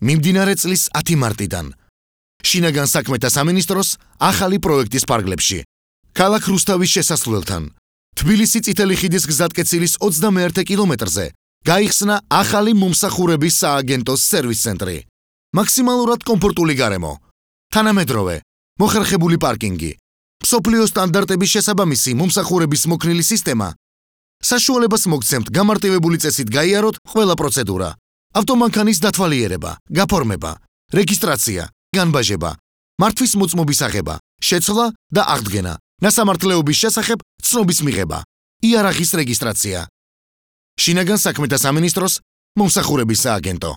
მიმდინარე წლის 10 მარტიდან. შინაგან საქმეთა სამინისტროს ახალი პროექტის ფარგლებში. ქალაქ რუსთავის შესასვლელთან. თბილისი წითელი ხიდის გზატკეცილის 21 კილომეტრზე გაიხსნა ახალი მომსახურების სააგენტოს სერვის ცენტრი. მაქსიმალურად კომფორტული გარემო. თანამედროვე, მოხერხებული პარკინგი. მსოფლიო სტანდარტების შესაბამისი მომსახურების მოქნილი სისტემა. საშუალებას მოგცემთ გამარტივებული წესით გაიაროთ ყველა პროცედურა. ავტომანქანის დათვალიერება, გაფორმება, რეგისტრაცია, განბაჟება, მართვის მოწმობის აღება, შეცვლა და აღდგენა, ნასამართლეობის შესახებ ცნობის მიღება, იარაღის რეგისტრაცია. შინაგან საქმეთა სამინისტროს მომსახურების სააგენტო.